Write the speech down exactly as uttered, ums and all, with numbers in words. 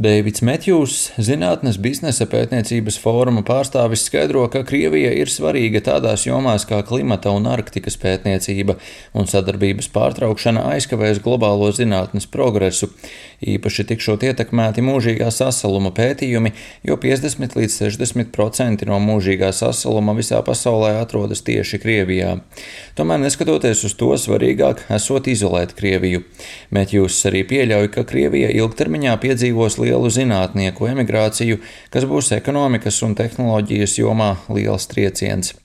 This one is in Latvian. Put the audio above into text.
Deivids Metjūs, Zinātnes biznesa pētniecības fóruma pārstāvis, skaidro, ka Krievija ir svarīga tādās jomās kā klimata un Arktikas pētniecība, un sadarbības pārtraukšana aizkavēs globālo zinātnes progresu. Īpaši tikšot ietekmēti mūžīgā sasaluma pētījumi, jo piecdesmit līdz sešdesmit procenti no mūžīgā sasaluma visā pasaulē atrodas tieši Krievijā. Tomēr, neskatoties uz to, svarīgāk esot izolēt Krieviju. Metjūs arī pieļauj, ka Krievija ilgtermiņā piedzīvos lielu zinātnieku emigrāciju, kas būs ekonomikas un tehnoloģijas jomā liels trieciens.